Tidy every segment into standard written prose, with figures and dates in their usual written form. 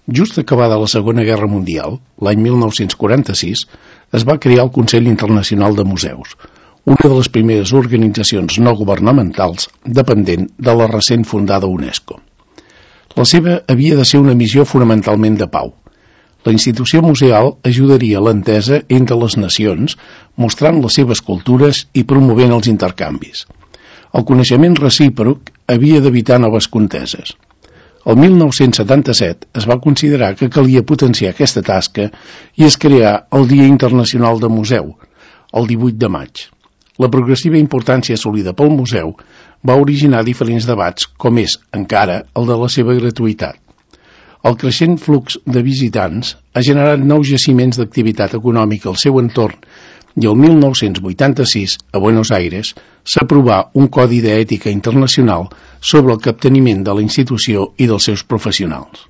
Just acabada la Segona Guerra Mundial, l'any 1946, es va crear el Consell Internacional de Museus, una de les primeres organitzacions no governamentals dependent de la recent fundada UNESCO. La seva havia de ser una missió fonamentalment de pau. La institució museal ajudaria a l'entesa entre les nacions, mostrant les seves cultures i promovent els intercanvis. El coneixement recíproc havia d'evitar noves conteses. El 1977 es va considerar que calia potenciar aquesta tasca i es creà el Dia Internacional de Museu, el 18 de maig. La progressiva importància assolida pel museu va originar diferents debats, com és, encara, el de la seva gratuïtat. El creixent flux de visitants ha generat nous jaciments d'activitat econòmica al seu entorn i el 1986, a Buenos Aires, s'aprovà un codi d'ètica internacional sobre el capteniment de la institució i dels seus professionals.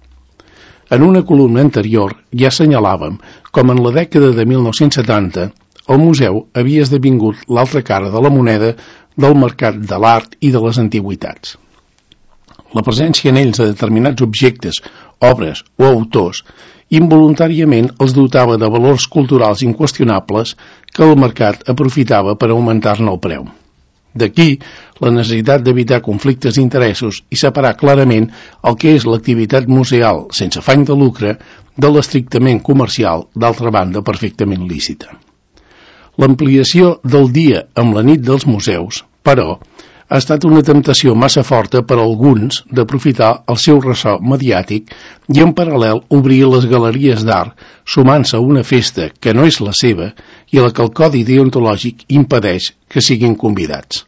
En una columna anterior ja assenyalàvem com en la dècada de 1970 el museu havia esdevingut l'altra cara de la moneda del mercat de l'art i de les antiguitats. La presència en ells de determinats objectes, obres o autors involuntàriament els dotava de valors culturals inqüestionables que el mercat aprofitava per augmentar-ne el preu. D'aquí la necessitat d'evitar conflictes d'interessos i separar clarament el que és l'activitat museal sense afany de lucre de l'estrictament comercial, d'altra banda perfectament lícita. L'ampliació del dia amb la nit dels museus, però, ha estat una temptació massa forta per a alguns d'aprofitar el seu ressò mediàtic i en paral·lel obrir les galeries d'art sumant-se a una festa que no és la seva i a la que el codi deontològic impedeix que siguin convidats.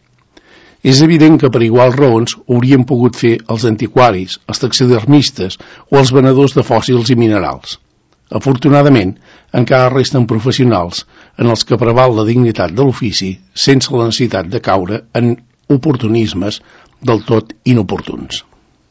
És evident que per iguals raons haurien pogut fer els antiquaris, els taxidermistes o els venedors de fòssils i minerals. Afortunadament, encara resten professionals en els que preval la dignitat de l'ofici sense la necessitat de caure en oportunismes del tot inoportuns.